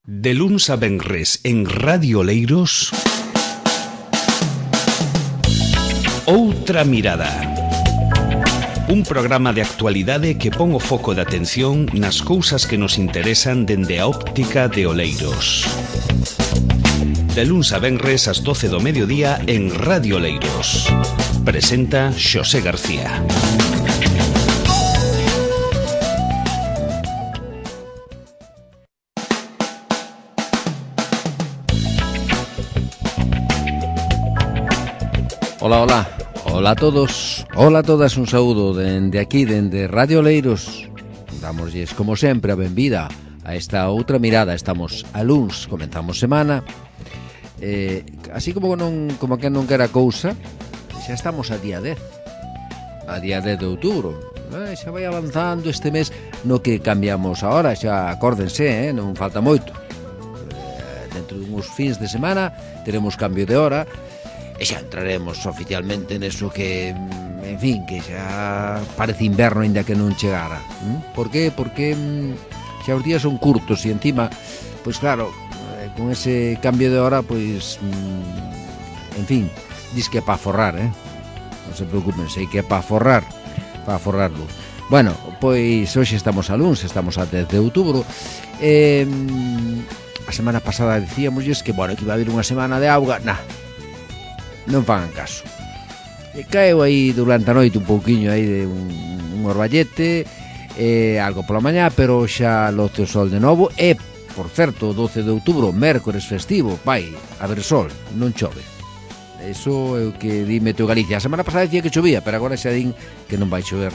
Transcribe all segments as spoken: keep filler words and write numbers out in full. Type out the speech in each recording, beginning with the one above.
De luns a venres en Radio Oleiros, Outra Mirada. Un programa de actualidade que pon o foco de atención nas cousas que nos interesan dende a óptica de Oleiros. De luns a venres ás doce do mediodía en Radio Oleiros. Presenta Xosé García. Hola, hola, hola a todos, hola a todas, un saúdo dende aquí, dende Radio Oleiros. Dámoslles, como sempre, a benvida a esta outra mirada. Estamos a luns, comenzamos semana, eh, así como non como que non quera cousa, xa estamos a día dez, a día dez de outubro. Eh, xa vai avanzando este mes, no que cambiamos ahora, xa acórdense, eh, non falta moito. Eh, dentro de uns fins de semana teremos cambio de hora, e xa entraremos oficialmente neso que, en fin, que xa parece inverno aínda que non chegara. Por que? Porque xa os días son curtos e encima, pois claro, con ese cambio de hora, pois, en fin, dis que é pa forrar, eh? Non se preocupen, sei que é pa forrar, pa forrar luz. Bueno, pois hoxe estamos a luns, estamos a dez de outubro. Eh, a semana pasada dicíamosles que, bueno, que iba a haber unha semana de auga. Nah, non fagan caso. E caeu aí durante a noite un pouquiño aí de un, un orballete, eh, algo pola mañá, pero xa loce o sol de novo. E, por certo, doce de outubro, mércores festivo, vai haber sol, non chove. Eso é o que di Meteo Galicia. A semana pasada dicía que chovía, pero agora xa din que non vai chover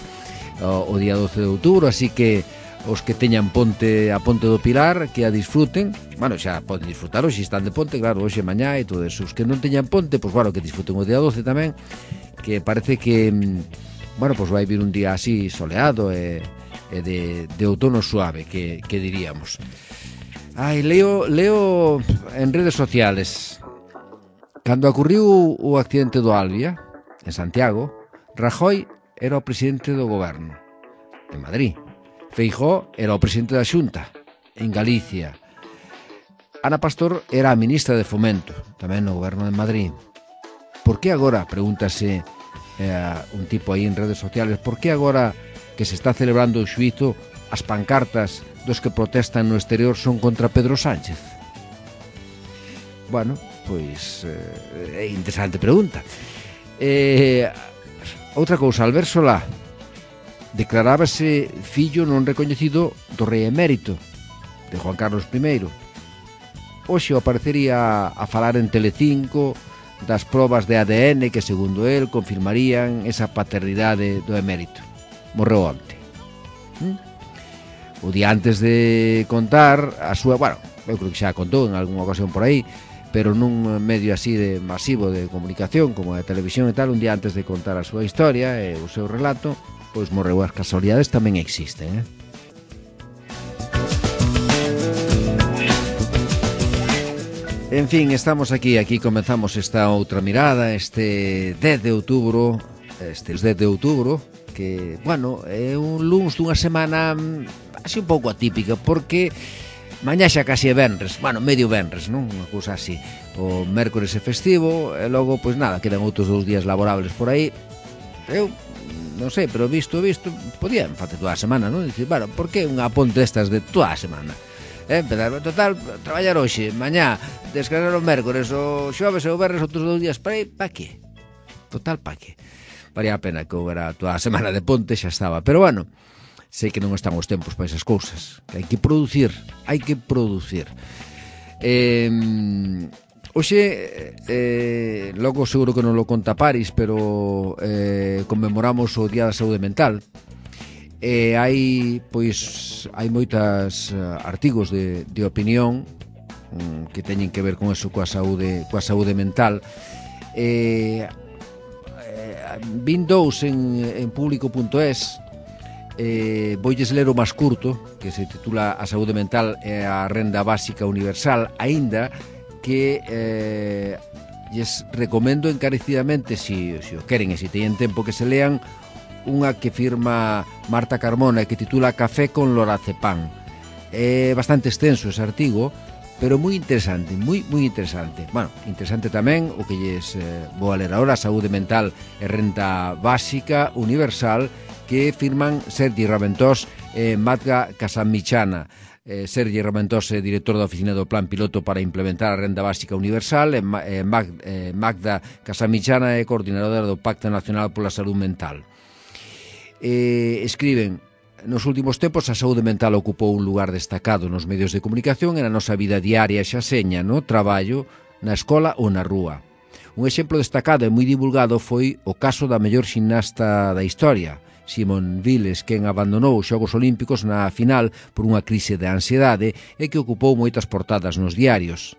o, o día doce de outubro, así que os que teñan ponte a Ponte do Pilar, que a disfruten. Bueno, xa poden disfrutar hoxe, están de ponte, claro, hoxe, mañá e todo eso. Os que non teñan ponte, pois, bueno, que disfruten o día doce tamén, que parece que, bueno, pois vai vir un día así soleado e, e de, de outono suave, que, que diríamos. Ai, leo, leo en redes sociales, cando ocurriu o accidente do Albia, en Santiago, Rajoy era o presidente do goberno, en Madrid. Feijóo era o presidente da Xunta, en Galicia. Ana Pastor era a ministra de Fomento, tamén no goberno de Madrid. Por que agora, pregúntase eh, un tipo aí en redes sociales, por que agora que se está celebrando o xuízo, as pancartas dos que protestan no exterior son contra Pedro Sánchez? Bueno, pois eh, é interesante pregunta. Eh, outra cousa, Albert Solá declarábase fillo non recoñecido do rei emérito, de Juan Carlos primeiro. Hoxe aparecería a falar en Telecinco das probas de A D N que, segundo el, confirmarían esa paternidade do emérito. Morreu onte. ¿Mm? O día antes de contar a súa... Bueno, eu creo que xa contou en algunha ocasión por aí, pero nun medio así de masivo de comunicación como a televisión e tal, un día antes de contar a súa historia e o seu relato, pois morreu. As casualidades tamén existen, eh? En fin, estamos aquí, aquí comenzamos esta outra mirada, este dez de outubro, este dez de outubro, que, bueno, é un luns dunha semana así un pouco atípica, porque mañá xa casi é venres, bueno, medio venres, non? Unha cousa así. O mércores é festivo, e logo, pois nada, quedan outros dous días laborables por aí. Eu non sei, pero visto, visto, podían facer toda a semana, non? Dicir, bueno, por que unha ponte estas de toda a semana? Eh, empezar, total, traballar hoxe, mañá, descansar o mércores, o xoves e o venres, outros dous días para aí, pa que? Total, pa que? Varía a pena que houbera toda a semana de ponte, xa estaba. Pero bueno, sei que non están os tempos para esas cousas, que hai que producir, hai que producir. Eh... Hoxe, eh, logo seguro que non lo conta Paris, pero eh, conmemoramos o Día da Saúde Mental. E eh, hai, pois, hai moitas uh, artigos de, de opinión um, que teñen que ver con eso, coa saúde, coa saúde mental. Eh, eh, vin dous en, en público punto es. Eh, voilles ler o máis curto, que se titula A saúde mental é a renda básica universal, aínda que eh, lles recomendo encarecidamente, si, si o queren e si teñen tempo, que se lean unha que firma Marta Carmona e que titula Café con lorazepam. É bastante extenso ese artigo, pero moi interesante, moi, moi interesante. Bueno, interesante tamén o que lles eh, vou a ler agora, Saúde Mental e Renta Básica Universal, que firman Sergi Raventós e Magda Casamichana. Eh, Sergi Raventós é director da oficina do Plan Piloto para implementar a Renda Básica Universal e eh, Mag, eh, Magda Casamichana é coordinadora do Pacto Nacional pola Salud Mental. Eh, escriben: nos últimos tempos a saúde mental ocupou un lugar destacado nos medios de comunicación e na nosa vida diaria, xa seña no traballo, na escola ou na rúa. Un exemplo destacado e moi divulgado foi o caso da mellor ximnasta da historia, Simone Biles, quen abandonou os Xogos Olímpicos na final por unha crise de ansiedade e que ocupou moitas portadas nos diarios.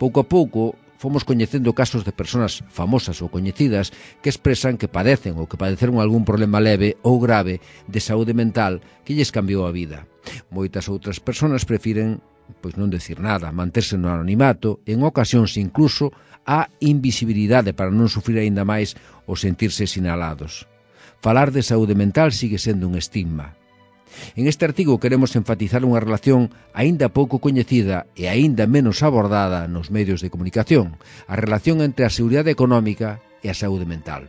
Pouco a pouco fomos coñecendo casos de persoas famosas ou coñecidas que expresan que padecen ou que padeceron algún problema leve ou grave de saúde mental que lles cambiou a vida. Moitas outras persoas prefiren pois non decir nada, manterse no anonimato, en ocasións incluso a invisibilidade para non sufrir aínda máis ou sentirse sinalados. Falar de saúde mental sigue sendo un estigma. En este artigo queremos enfatizar unha relación aínda pouco coñecida e aínda menos abordada nos medios de comunicación, a relación entre a seguridade económica e a saúde mental.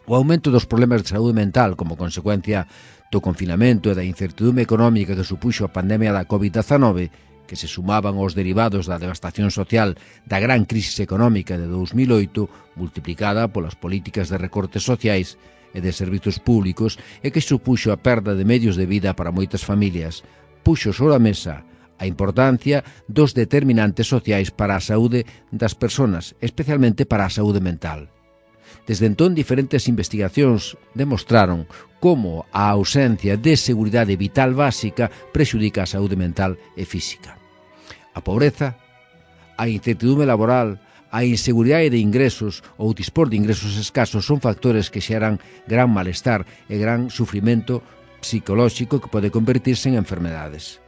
O aumento dos problemas de saúde mental como consecuencia do confinamento e da incertidumbre económica que supuxo a pandemia da covid dezanove, que se sumaban aos derivados da devastación social da gran crisis económica de dous mil oito, multiplicada polas políticas de recortes sociais e de servizos públicos e que supuxo a perda de medios de vida para moitas familias, puxo sobre a mesa a importancia dos determinantes sociais para a saúde das persoas, especialmente para a saúde mental. Desde entón, diferentes investigacións demostraron como a ausencia de seguridade vital básica prexudica a saúde mental e física. A pobreza, a incertidumbre laboral, a inseguridade de ingresos ou o dispor de ingresos escasos son factores que xeran gran malestar e gran sufrimento psicolóxico que pode convertirse en enfermedades.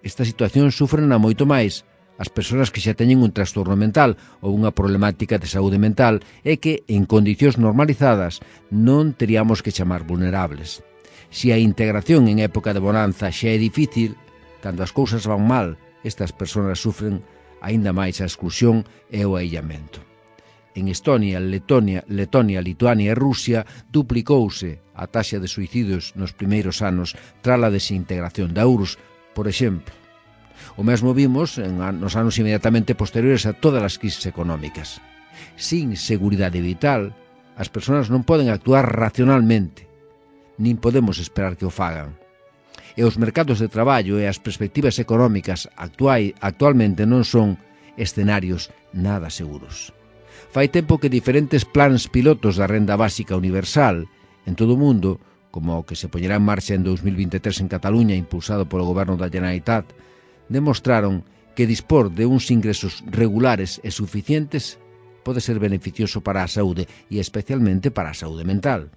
Esta situación sufren a moito máis as persoas que xa teñen un trastorno mental ou unha problemática de saúde mental e que, en condicións normalizadas, non teríamos que chamar vulnerables. Se a integración en época de bonanza xa é difícil, cando as cousas van mal, estas persoas sufren aínda máis a exclusión e o aillamento. En Estonia, Letonia, Letonia, Lituania e Rusia duplicouse a taxa de suicidios nos primeiros anos tras a desintegración da U R S S, por exemplo. O mesmo vimos en, nos anos inmediatamente posteriores a todas as crisis económicas. Sin seguridade vital, as persoas non poden actuar racionalmente, nin podemos esperar que o fagan. E os mercados de traballo e as perspectivas económicas actuai, actualmente non son escenarios nada seguros. Fai tempo que diferentes plans pilotos da Renda Básica Universal en todo o mundo, como o que se poñerá en marcha en dous mil vinte e tres en Cataluña, impulsado polo Goberno da Generalitat, demostraron que dispor de uns ingresos regulares e suficientes pode ser beneficioso para a saúde e especialmente para a saúde mental.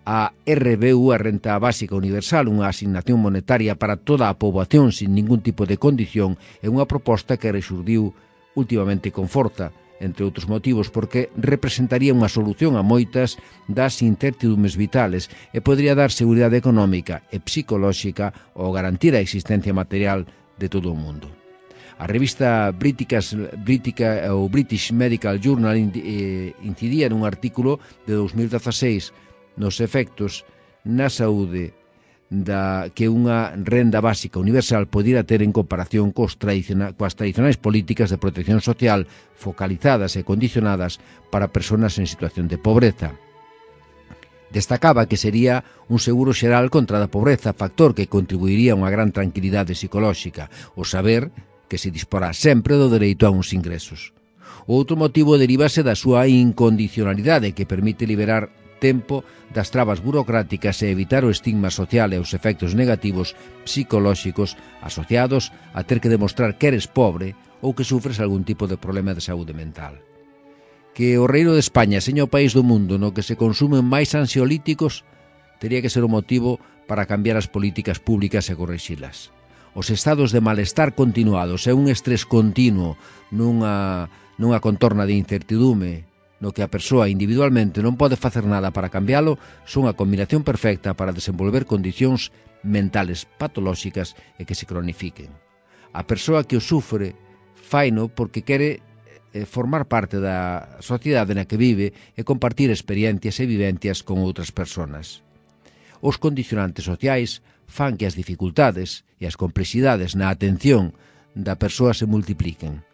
A R B U, a Renta Básica Universal, unha asignación monetaria para toda a poboación sin ningún tipo de condición, é unha proposta que rexurdiu últimamente con forza, entre outros motivos, porque representaría unha solución a moitas das incertidumbres vitales e podría dar seguridade económica e psicolóxica ou garantir a existencia material de todo o mundo. A revista Briticas, Britica, ou British Medical Journal incidía nun artículo de dous mil dezaseis nos efectos na saúde da que unha renda básica universal podira ter en comparación cos tradiciona, coas tradicionais políticas de protección social focalizadas e condicionadas para persoas en situación de pobreza. Destacaba que sería un seguro xeral contra a pobreza, factor que contribuiría a unha gran tranquilidade psicolóxica, o saber que se disporá sempre do dereito a uns ingresos. O outro motivo derívase da súa incondicionalidade, que permite liberar tempo das trabas burocráticas e evitar o estigma social e os efectos negativos psicolóxicos asociados a ter que demostrar que eres pobre ou que sufres algún tipo de problema de saúde mental. Que o Reino de España seña o país do mundo no que se consumen máis ansiolíticos tería que ser o motivo para cambiar as políticas públicas e correxilas. Os estados de malestar continuados e un estrés continuo nunha, nunha contorna de incertidume no que a persoa individualmente non pode facer nada para cambiálo, son a combinación perfecta para desenvolver condicións mentales patolóxicas e que se cronifiquen. A persoa que o sufre faino porque quere eh, formar parte da sociedade na que vive e compartir experiencias e vivencias con outras persoas. Os condicionantes sociais fan que as dificultades e as complexidades na atención da persoa se multipliquen.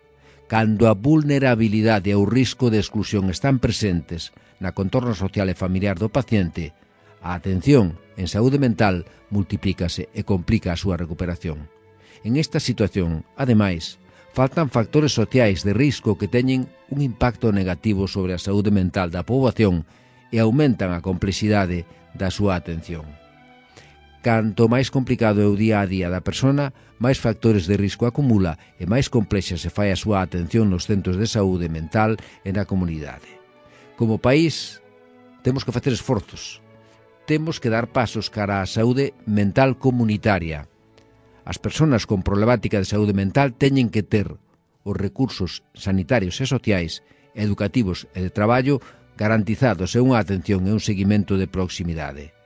Cando a vulnerabilidade e o risco de exclusión están presentes na contorna social e familiar do paciente, a atención en saúde mental multiplícase e complica a súa recuperación. En esta situación, ademais, faltan factores sociais de risco que teñen un impacto negativo sobre a saúde mental da poboación e aumentan a complexidade da súa atención. Canto máis complicado é o día a día da persona, máis factores de risco acumula e máis complexa se fai a súa atención nos centros de saúde mental e na comunidade. Como país, temos que facer esforzos. Temos que dar pasos cara á saúde mental comunitaria. As persoas con problemática de saúde mental teñen que ter os recursos sanitarios e sociais, educativos e de traballo garantizados e unha atención e un seguimento de proximidade.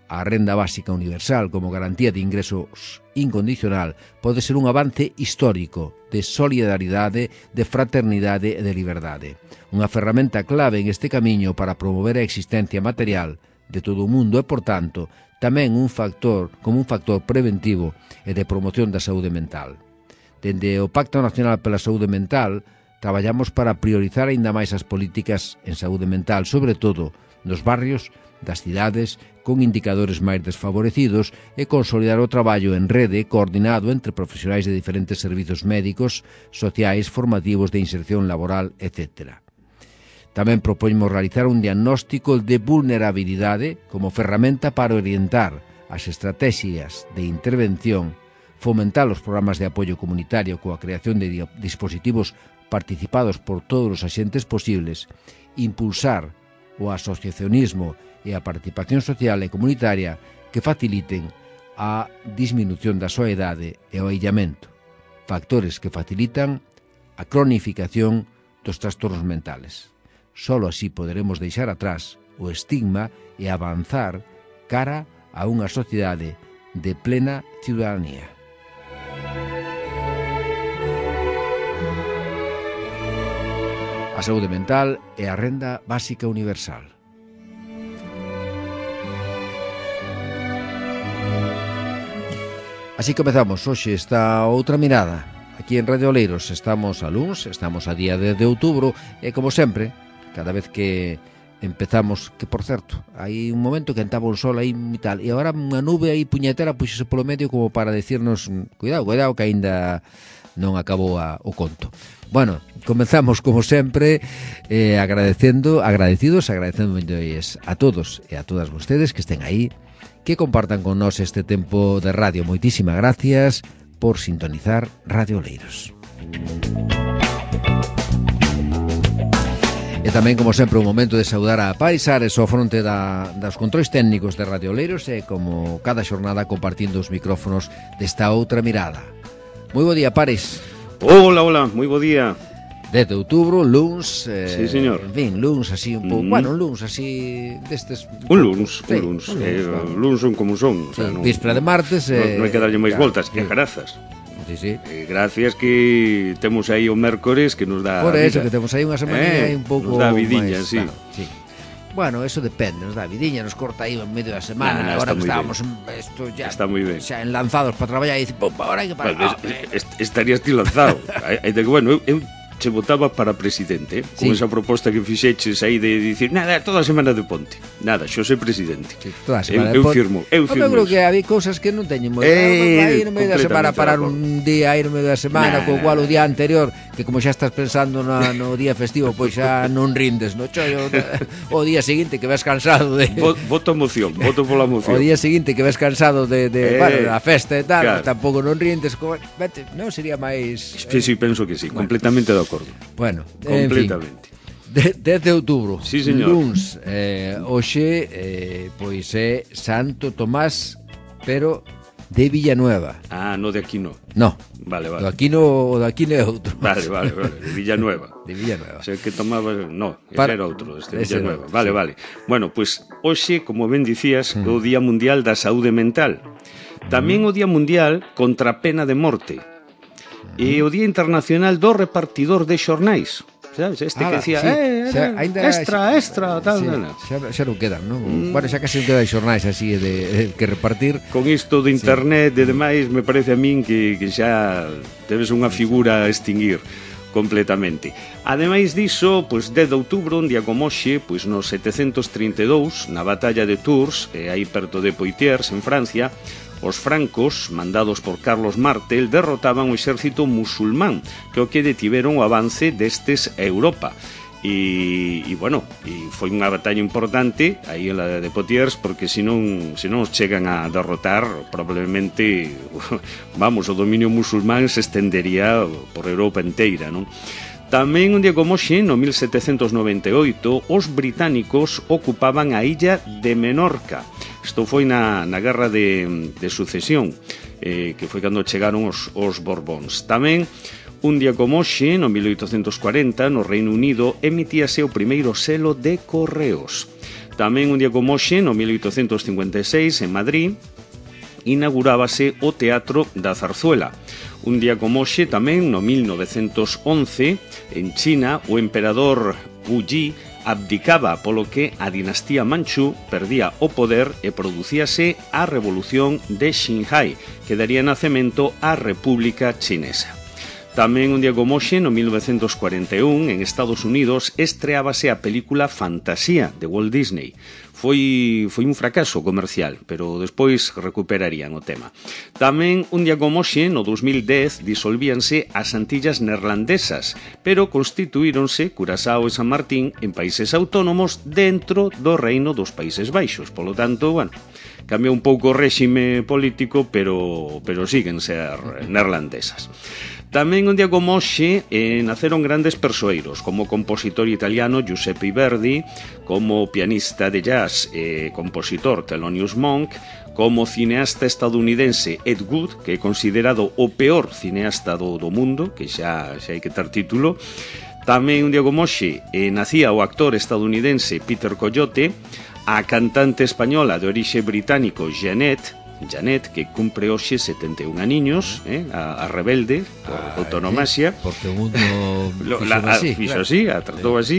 A renda básica universal como garantía de ingresos incondicional pode ser un avance histórico de solidaridade, de fraternidade e de liberdade. Unha ferramenta clave en este camiño para promover a existencia material de todo o mundo e, por tanto, tamén un factor como un factor preventivo e de promoción da saúde mental. Dende o Pacto Nacional pola Saúde Mental, traballamos para priorizar aínda máis as políticas en saúde mental, sobre todo nos barrios das cidades con indicadores máis desfavorecidos e consolidar o traballo en rede coordinado entre profesionais de diferentes servizos médicos, sociais, formativos, de inserción laboral, etcétera. Tamén propoñemos realizar un diagnóstico de vulnerabilidade como ferramenta para orientar as estrategias de intervención, fomentar os programas de apoio comunitario coa creación de dispositivos participados por todos os axentes posibles, impulsar o asociacionismo e a participación social e comunitaria que faciliten a disminución da soidade e o aillamento, factores que facilitan a cronificación dos trastornos mentales. Solo así poderemos deixar atrás o estigma e avanzar cara a unha sociedade de plena ciudadanía. A saúde mental é a renda básica universal. Así comezamos hoxe esta outra mirada. Aquí en Radio Oleiros estamos a luns, estamos a día dez de outubro e, como sempre, cada vez que empezamos, que por certo, hai un momento que entaba un sol aí e tal, e agora unha nube aí puñetera puxese polo medio como para decirnos cuidado, cuidado que aínda non acabou a, o conto. Bueno, comenzamos como sempre eh, agradecendo, agradecidos, agradecendo a todos e a todas vostedes que estén aí, que compartan con nós este tempo de radio. Moitísimas gracias por sintonizar Radio Oleiros. E tamén, como sempre, un momento de saudar a Paris Ares ao fronte da, das controis técnicos de Radio Oleiros e, como cada xornada, compartindo os micrófonos desta outra mirada. Moi bo día, Paris. Hola, hola, moi bo día. dez de outubro, luns, eh, sí, señor. En fin, luns así un pouco, mm. bueno, un luns así destes. Un luns, sí, un luns, un luns, eh, bueno. luns son como son, o sea, sí, non, víspera de martes, eh, non hai que darlle máis claro, voltas, que sí. grazas. Sí, sí. Eh, gracias que temos aí o mércores que nos dá Por eso, vida. que temos aí unha semanilla eh, un pouco nos dá vidiña, máis, sí. Claro, sí. Bueno, eso depende, nos dá vidiña, nos corta aí en medio da semana, nah, nah, agora que estábamos en, esto ya, está moi ben. xa enlanzados para traballar e dice, pum, agora hai que parar. Bueno, oh, es, es, estarías ti lanzado. Aí de que, bueno, eu, eu che votaba para presidente, eh? Con sí. esa proposta que fixeches aí de dicir, nada, toda a semana de ponte. Nada, xo sei presidente. Sí, toda a eu, semana eu de ponte. firmo, eu firmo. Eu creo eso. que había cousas que non teñen moi Eh, aí no medio da semana, parar un día aí no medio da semana, nah, co cual nah. o día anterior, que como xa estás pensando na, no día festivo, pois xa non rindes, no chollo, o día seguinte que ves cansado de... Voto moción, voto pola moción. O día seguinte que ves cansado de, de Eh, bueno, da festa e tal, claro. tampouco non rindes, co... vete, non sería máis... Sí, sí, penso que sí, bueno. completamente de acordo. Bueno, completamente. En fin, dez de outubro, sí, señor. luns, eh, hoxe, eh, pois é Santo Tomás, pero de Villanueva. Ah, no de aquí no. No, Vale, do vale. aquí no, o do aquí no é outro. Vale, vale, vale, de Villanueva. De Villanueva. Sei que tomaba, no, ese Para... era outro, este ese Villanueva. era, Vale, sí. vale. Bueno, pois pues, hoxe, como ben dicías, Mm. é o Día Mundial da Saúde Mental. Tamén o Día Mundial contra a pena de morte. e o Día Internacional do Repartidor de Xornais. Sabes? Este Ala, que decía, sí. eh, Xa, ainda- extra, extra, tal, sí, tal, tal. xa, xa non quedan, non? Mm. Bueno, xa casi non quedan xornais así de, de que repartir. Con isto de internet e demais, me parece a min que, que xa debes unha figura a extinguir completamente. Ademais diso, pois dez de outubro, un día como hoxe, pois no setecentos trinta e dous, na batalla de Tours, eh, aí perto de Poitiers, en Francia, os francos, mandados por Carlos Martel, derrotaban o exército musulmán, que o que detiveron o avance destes a Europa. E, e bueno, e foi unha batalla importante aí en la de Poitiers, porque se non, se non os chegan a derrotar, probablemente vamos, o dominio musulmán se estendería por Europa inteira, non? Tamén un día como hoxe, no mil setecentos noventa e oito, os británicos ocupaban a illa de Menorca. Isto foi na, na guerra de, de sucesión, eh, que foi cando chegaron os, os Borbóns. Tamén, un día como hoxe, no mil oitocentos cuarenta, no Reino Unido, emitíase o primeiro selo de correos. Tamén un día como hoxe, no mil oitocentos cincuenta e seis, en Madrid, inaugurábase o Teatro da Zarzuela. Un día como hoxe, tamén, no mil novecentos once, en China, o emperador Wu Yi abdicaba, polo que a dinastía Manchú perdía o poder e producíase a Revolución de Xinhai, que daría nacemento á República Chinesa. Tamén un día como hoxe, no mil novecentos cuarenta e un, en Estados Unidos, estreábase a película Fantasía, de Walt Disney. Foi, foi un fracaso comercial, pero despois recuperarían o tema. Tamén, un día como hoxe, no dos mil dez, disolvíanse as Antillas Neerlandesas, pero constituíronse Curazao e San Martín en países autónomos dentro do Reino dos Países Baixos. Polo tanto, bueno, cambiou un pouco o réxime político, pero, pero siguen ser neerlandesas. Tamén un día como hoxe eh, naceron grandes persoeiros, como o compositor italiano Giuseppe Verdi, como o pianista de jazz e eh, compositor Thelonious Monk, como o cineasta estadounidense Ed Wood, que é considerado o peor cineasta do, do mundo, que xa, xa hai que ter título. Tamén un día como hoxe eh, nacía o actor estadounidense Peter Coyote, a cantante española de orixe británico Janet, Janet, que cumpre hoxe setenta e un aniños, eh, a, a rebelde, por ah, autonomasia. Eh, porque o mundo lo, la, así, fixo claro. así, a tratou sí. así.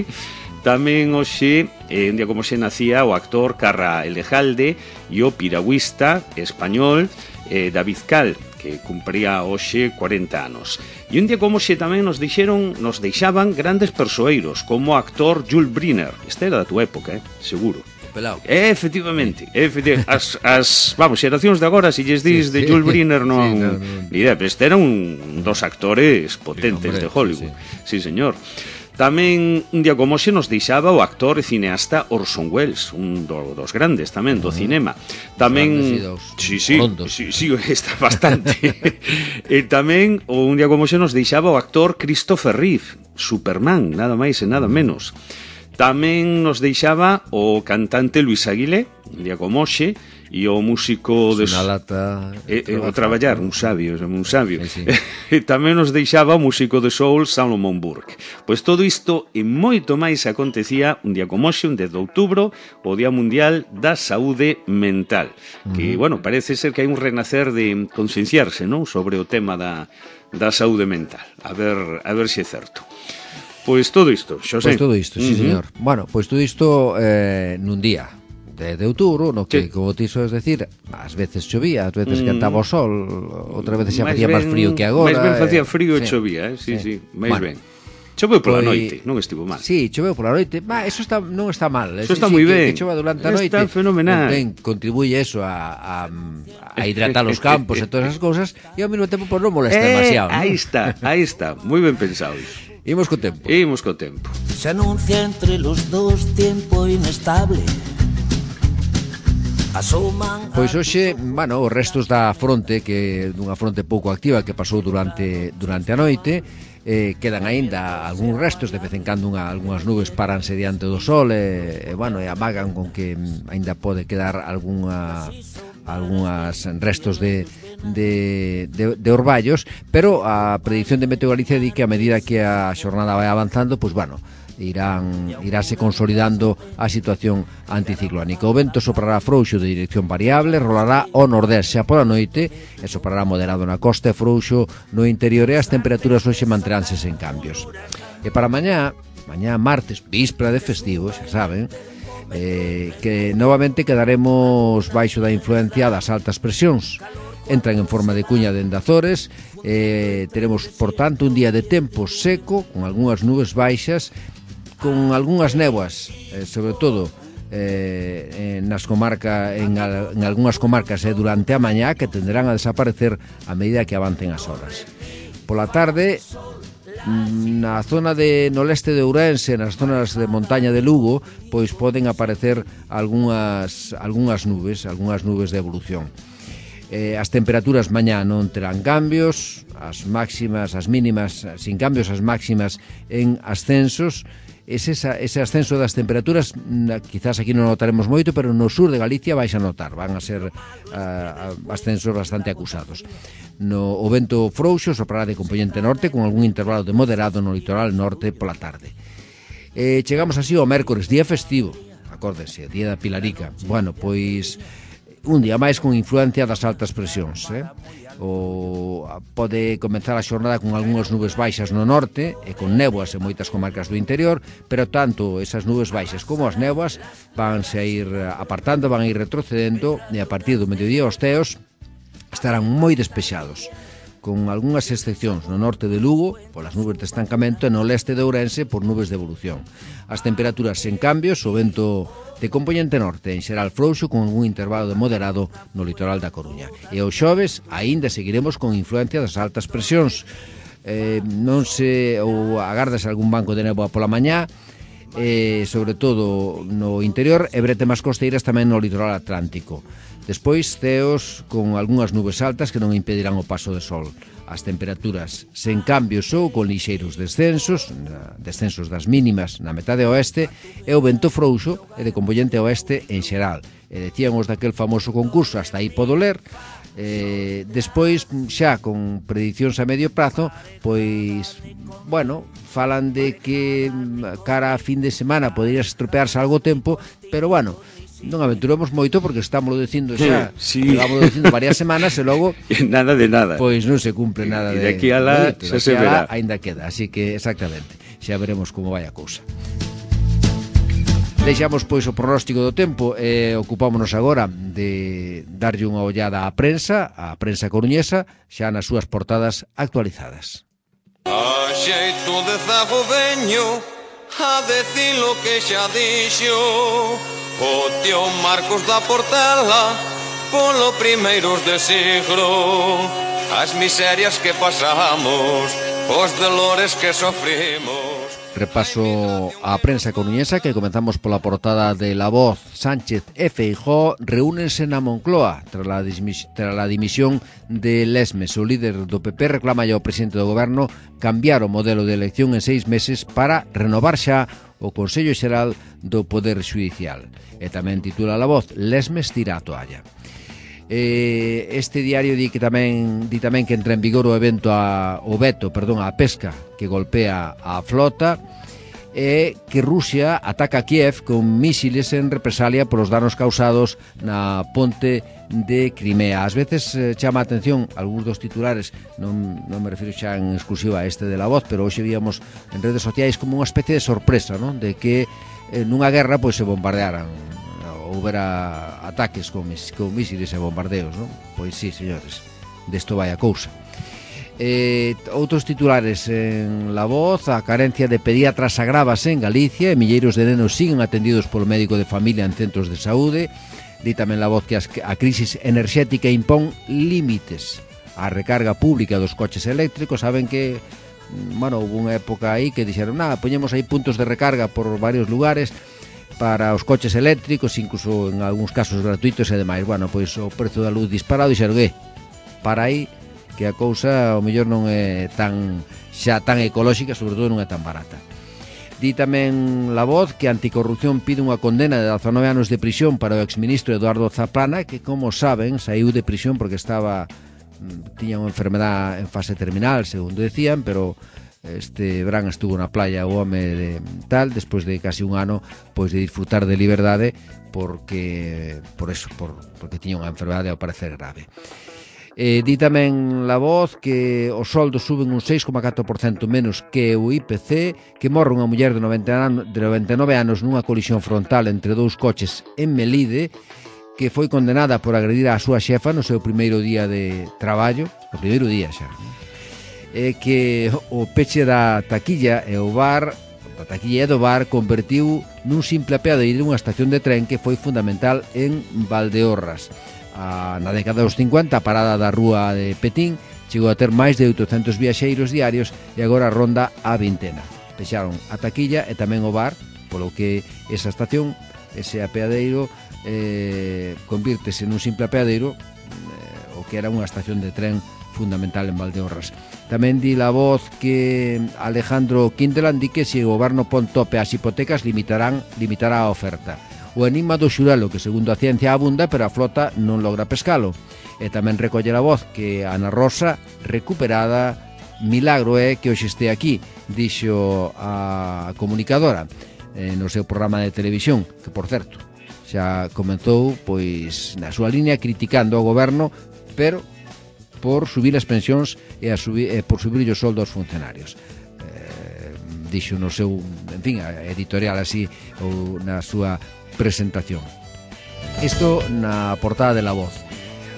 Tamén hoxe, eh, un día como xe nacía o actor Carra Elejalde e o piragüista español eh, David Cal, que cumpría hoxe corenta anos. E un día como xe tamén nos dixeron, nos deixaban grandes persoeiros, como o actor Jules Briner. Este era da tua época, eh, seguro. Pelao. Efectivamente, efectivamente. As, as, vamos, xeracións de agora, se lles dis sí, de Jules Briner non... Sí, no, no. Mira, este era un dos actores potentes sí, hombre, de Hollywood. Sí, sí, señor. Tamén un día como xe nos deixaba o actor e cineasta Orson Welles, un do, dos grandes tamén do uh -huh. cinema. Tamén sí, sí, sí, sí, está bastante. E tamén o un día como xe nos deixaba o actor Christopher Reeve, Superman, nada máis e nada menos. Tamén nos deixaba o cantante Luis Aguilé, un día como hoxe, e o músico de... Una lata... E, e, o traballar, un sabio, un sabio. Sí, sí. E tamén nos deixaba o músico de soul Salomon Burke. Pois todo isto e moito máis acontecía un día como hoxe, un dez de outubro, o Día Mundial da Saúde Mental. Uh-huh. Que, bueno, parece ser que hai un renacer de concienciarse, non?, sobre o tema da, da saúde mental. A ver, a ver se é certo. Pois todo isto, Xosé. Pois todo isto, sí, uh -huh. señor. Bueno, pois todo isto eh, nun día de, de outubro, no que, sí. como ti soes decir, ás veces chovía, ás veces mm. cantaba o sol, outra veces xa facía máis frío que agora. Máis ben facía frío e sí. chovía, eh? sí, sí, sí. máis bueno. ben. Choveu pola pues, noite, non estivo mal. Sí, choveu pola noite. Bah, eso está, non está mal. Eso está sí, moi sí, ben. Que, que chova durante a noite. Está fenomenal. Ben, contribuye eso a, a, a hidratar os campos e todas as cousas e ao mesmo tempo pues, non molesta eh, demasiado. Aí ¿no? está, aí está. Moi ben pensado iso. Imos co tempo. Imos co tempo. Se anuncia entre los dos tiempo inestable. Asoman... Pois hoxe, bueno, os restos da fronte, que dunha fronte pouco activa que pasou durante durante a noite, eh, quedan aínda algúns restos, de vez en cando unha, algunhas nubes paranse diante do sol e, e bueno, e amagan con que aínda pode quedar algunha algunhas restos de De, de, de orballos, pero a predicción de Meteo Galicia di que a medida que a xornada vai avanzando, pois bueno, irán iráse consolidando a situación anticiclónica. O vento soprará frouxo de dirección variable, rolará ao nordés xa pola noite e soprará moderado na costa e frouxo no interior, e as temperaturas hoxe manteránse sen cambios. E para mañá, mañá martes, víspera de festivo, xa saben, eh, que novamente quedaremos baixo da influencia das altas presións. Entran en forma de cuña dende Azores, eh, teremos, por tanto, un día de tempo seco, con algunhas nubes baixas, con algunhas néboas, eh, sobre todo eh, nas comarca, en, en algunhas comarcas eh, durante a mañá, que tenderán a desaparecer a medida que avancen as horas. Pola tarde, na zona de no leste de Ourense, nas zonas de montaña de Lugo, pois poden aparecer algunhas, algunhas nubes, algunhas nubes de evolución. Eh, as temperaturas mañá non terán cambios, as máximas, as mínimas sin cambios, as máximas en ascensos. Ese, ese ascenso das temperaturas quizás aquí non notaremos moito, pero no sur de Galicia vais a notar, van a ser uh, ascensos bastante acusados. No, o vento frouxo soprará de componente norte, con algún intervalo de moderado no litoral norte pola tarde. Eh, chegamos así ao mércores, día festivo, acórdese, día da Pilarica. Bueno, pois un día máis con influencia das altas presións, eh? O, pode comenzar a xornada con algunhas nubes baixas no norte e con néboas en moitas comarcas do interior, pero tanto esas nubes baixas como as néboas vanse a ir apartando, van a ir retrocedendo, e a partir do mediodía os teos estarán moi despexados, con algunhas excepcións no norte de Lugo polas nubes de estancamento e no leste de Ourense por nubes de evolución. As temperaturas sen cambios, o vento de componente norte en xeral frouxo, con algún intervalo de moderado no litoral da Coruña. E o xoves aínda seguiremos con influencia das altas presións. Eh, non se ou agardase algún banco de néboa pola mañá, eh, sobre todo no interior, e bretemas costeiras tamén no litoral atlántico. Despois, ceos con algunhas nubes altas que non impedirán o paso de sol. As temperaturas sen cambios ou con lixeiros descensos, descensos das mínimas na metade oeste, e o vento frouxo e de componente oeste en xeral. E decían os daquel famoso concurso, hasta aí podo ler. Eh, despois, xa con predicións a medio prazo, pois, bueno, falan de que cara a fin de semana podería estropearse algo o tempo, pero bueno, non aventuramos moito porque estamos dicindo xa, sí. Estamos dicindo varias semanas e logo nada de nada. Pois non se cumpre nada de, de aquí a lá xa se verá. Ainda queda, así que exactamente, xa veremos como vai a cousa. Deixamos pois o pronóstico do tempo e ocupámonos agora de darlle unha ollada á prensa, á prensa coruñesa, xa nas súas portadas actualizadas. A xeito de zago veño a decir lo que xa dixo o tío Marcos da Portela polo primeiros de siglo, as miserias que pasamos, os dolores que sofrimos. Repaso a prensa coruñesa, que comenzamos pola portada de La Voz. Sánchez e Feijóo reúnense na Moncloa tras la, tras la dimisión de Lesmes. O líder do P P reclama ao presidente do goberno cambiar o modelo de elección en seis meses para renovar xa o Consello Xeral do Poder Xudicial. E tamén titula La Voz, Lesmes tira a toalla. Eh, este diario di que tamén di tamén que entra en vigor o evento a, o veto, perdón, a pesca que golpea a flota, e que Rusia ataca a Kiev con mísiles en represalia polos danos causados na ponte de Crimea. Ás veces eh, chama a atención algúns dos titulares, non, non me refiro xa en exclusiva a este de La Voz, pero hoxe víamos en redes sociais como unha especie de sorpresa, non? De que eh, nunha guerra pois se bombardearan, houbera ataques con, con mísiles e bombardeos, non? Pois sí, señores, desto vai a cousa. Eh, outros titulares en La Voz: a carencia de pediatras agrávase en Galicia e milleiros de nenos siguen atendidos polo médico de familia en centros de saúde. Di tamén La Voz que a crisis enerxética impón límites á recarga pública dos coches eléctricos. Saben que, bueno, houve unha época aí que dixeron, nada, poñemos aí puntos de recarga por varios lugares para os coches eléctricos, incluso en algúns casos gratuitos e demais. Bueno, pois o prezo da luz disparado, dixeron, eh, para aí, que a cousa ao mellor non é tan xa tan ecolóxica, sobre todo non é tan barata. Di tamén La Voz que a Anticorrupción pide unha condena de dezanove anos de prisión para o exministro Eduardo Zaplana, que, como saben, saiu de prisión porque estaba tiña unha enfermedad en fase terminal, segundo decían, pero este verán estuvo na playa o home de tal, despois de casi un ano pois de disfrutar de liberdade porque por eso, por, porque tiña unha enfermedade ao parecer grave. Eh, di tamén La Voz que os soldos suben un seis coma catro por cento menos que o I P C, que morre unha muller de noventa e nove anos nunha colisión frontal entre dous coches en Melide, que foi condenada por agredir a súa xefa no seu primeiro día de traballo, o primeiro día xa, non? E que o peche da taquilla e o bar, a taquilla e do bar, convertiu nun simple apeadeiro unha estación de tren que foi fundamental en Valdeorras. A, na década dos cincuenta, a parada da rúa de Petín chegou a ter máis de oitocentos viaxeiros diarios e agora ronda a vintena. Pexaron a taquilla e tamén o bar, polo que esa estación, ese apeadeiro, eh, convírtese nun simple apeadeiro, eh, o que era unha estación de tren fundamental en Valdeorras. Tamén di La Voz que Alejandro Quintelan di que se o goberno pon tope ás hipotecas limitarán, limitará a oferta. O enigma do xurelo, que segundo a ciencia abunda, pero a flota non logra pescalo. E tamén recolle La Voz que Ana Rosa, recuperada, milagro é que hoxe este aquí, dixo a comunicadora eh, no seu programa de televisión, que por certo xa comentou pois na súa línea criticando ao goberno, pero por subir as pensións e, a subir, e por subir os soldos aos funcionarios. Eh, dixo no seu, en fin, editorial así ou na súa presentación. Isto na portada de La Voz.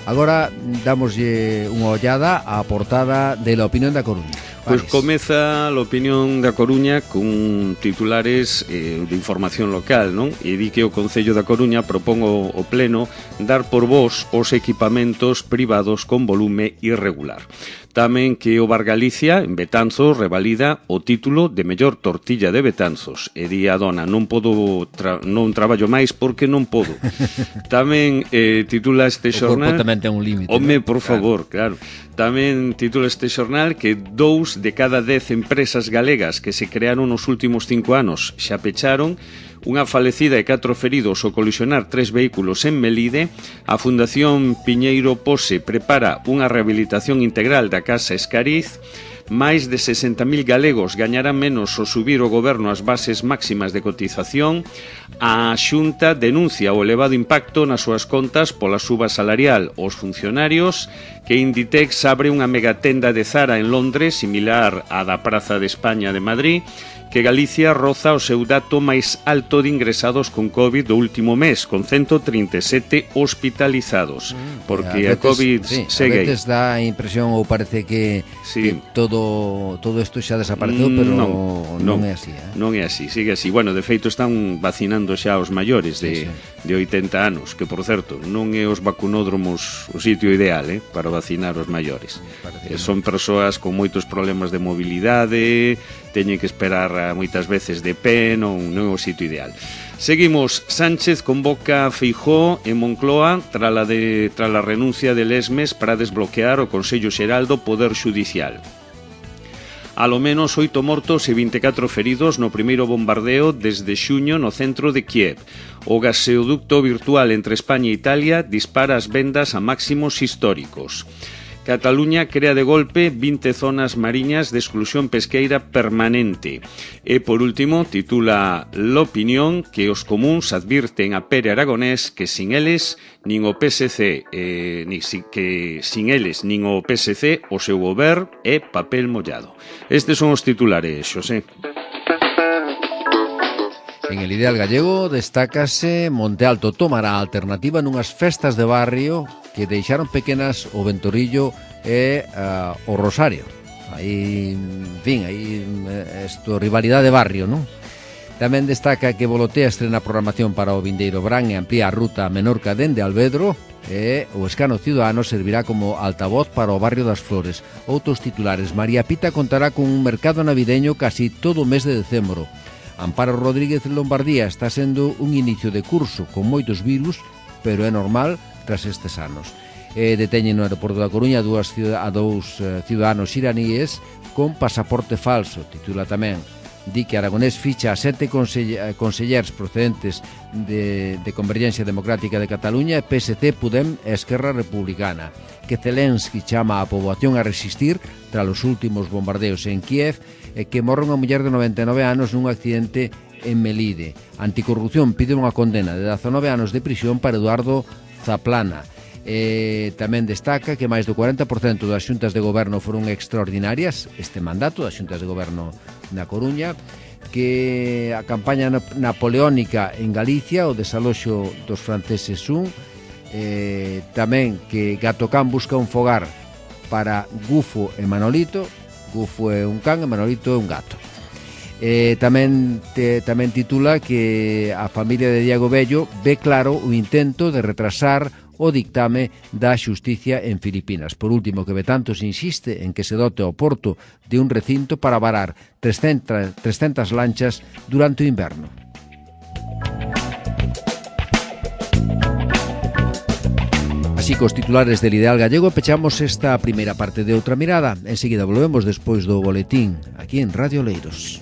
Agora damoslle unha ollada á portada de La Opinión da Coruña. Pois pues comeza a Opinión da Coruña con titulares eh, de información local, non? E di que o Concello da Coruña propón o, o Pleno dar por vos os equipamentos privados con volume irregular. Tamén que o Bar Galicia, en Betanzos, revalida o título de mellor tortilla de Betanzos. E di a dona, non podo tra non traballo máis porque non podo. Tamén eh, titula este xornal... O corpo tamén ten un límite. Home, ¿no? Por favor, claro. Tamén titula este xornal que dous de cada dez empresas galegas que se crearon nos últimos cinco anos xa pecharon. Unha falecida e catro feridos ao colisionar tres vehículos en Melide. A Fundación Piñeiro Pose prepara unha rehabilitación integral da Casa Escariz. Máis de sesenta mil galegos gañarán menos ao subir o goberno as bases máximas de cotización. A Xunta denuncia o elevado impacto nas súas contas pola suba salarial aos funcionarios. Que Inditex abre unha megatenda de Zara en Londres, similar á da Praza de España de Madrid. Que Galicia roza o seu dato máis alto de ingresados con COVID do último mes, con ciento trinta e sete hospitalizados, porque a, veces, a COVID sí, segue aí. A veces dá a impresión ou parece que, sí. que todo todo isto xa desapareceu, pero non, non, non é así. Eh? Non é así, sigue así. Bueno, de feito están vacinando xa os maiores de, sí, sí. de oitenta anos, que por certo, non é os vacunódromos o sitio ideal eh, para vacinar os maiores. Eh, son persoas con moitos problemas de mobilidade, teñen que esperar moitas veces de pé, non, non é o sitio ideal. Seguimos, Sánchez convoca a Feijóo en Moncloa tras a, de, tras a renuncia de Lesmes para desbloquear o Consello Xeral do Poder Xudicial. Alo menos oito mortos e vinte e catro feridos no primeiro bombardeo desde xuño no centro de Kiev. O gaseoducto virtual entre España e Italia dispara as vendas a máximos históricos. Cataluña crea de golpe vinte zonas mariñas de exclusión pesqueira permanente. E, por último, titula L'Opinión que os comuns advirten a Pere Aragonés que sin eles nin o P S C eh, ni, que sin eles nin o P S C o seu goberno é papel mollado. Estes son os titulares, Xosé. En el Ideal Gallego destácase Monte Alto tomará a alternativa nunhas festas de barrio que deixaron pequenas o Ventorillo e uh, o Rosario. Aí, en fin, aí esto rivalidade de barrio, non? Tamén destaca que Volotea estrena programación para o vindeiro Brán e amplía a ruta a Menorca dende Alvedro e o escano ciudadano servirá como altavoz para o barrio das Flores. Outros titulares, María Pita contará con un mercado navideño casi todo o mes de decembro. Amparo Rodríguez en Lombardía está sendo un inicio de curso con moitos virus, pero é normal tras estes anos. E deteñen no aeroporto da Coruña a, dúas, a dous uh, ciudadanos iraníes con pasaporte falso, titula tamén di que Aragonés ficha a sete consellers procedentes de, de Convergencia Democrática de Cataluña, P S C, Podem e Esquerra Republicana, que Zelensky chama a poboación a resistir tras os últimos bombardeos en Kiev e que morre unha muller de noventa e nove anos nun accidente en Melide. Anticorrupción pide unha condena de dezanove anos de prisión para Eduardo Zaplana. Eh, tamén destaca que máis do cuarenta por cento das xuntas de goberno foron extraordinarias este mandato das xuntas de goberno na Coruña, que a campaña napoleónica en Galicia, o desaloxo dos franceses un, eh, tamén que Gatocán busca un fogar para Gufo e Manolito. Gufo é un can e Manolito é un gato. Eh, tamén, te, tamén titula que a familia de Diego Bello ve claro o intento de retrasar o dictame da xusticia en Filipinas. Por último, que Betantos insiste en que se dote ao porto de un recinto para varar trescentas lanchas durante o inverno. Así, cos titulares del Ideal Gallego, pechamos esta primeira parte de Outra Mirada. Enseguida volvemos despois do boletín aquí en Radio Leiros.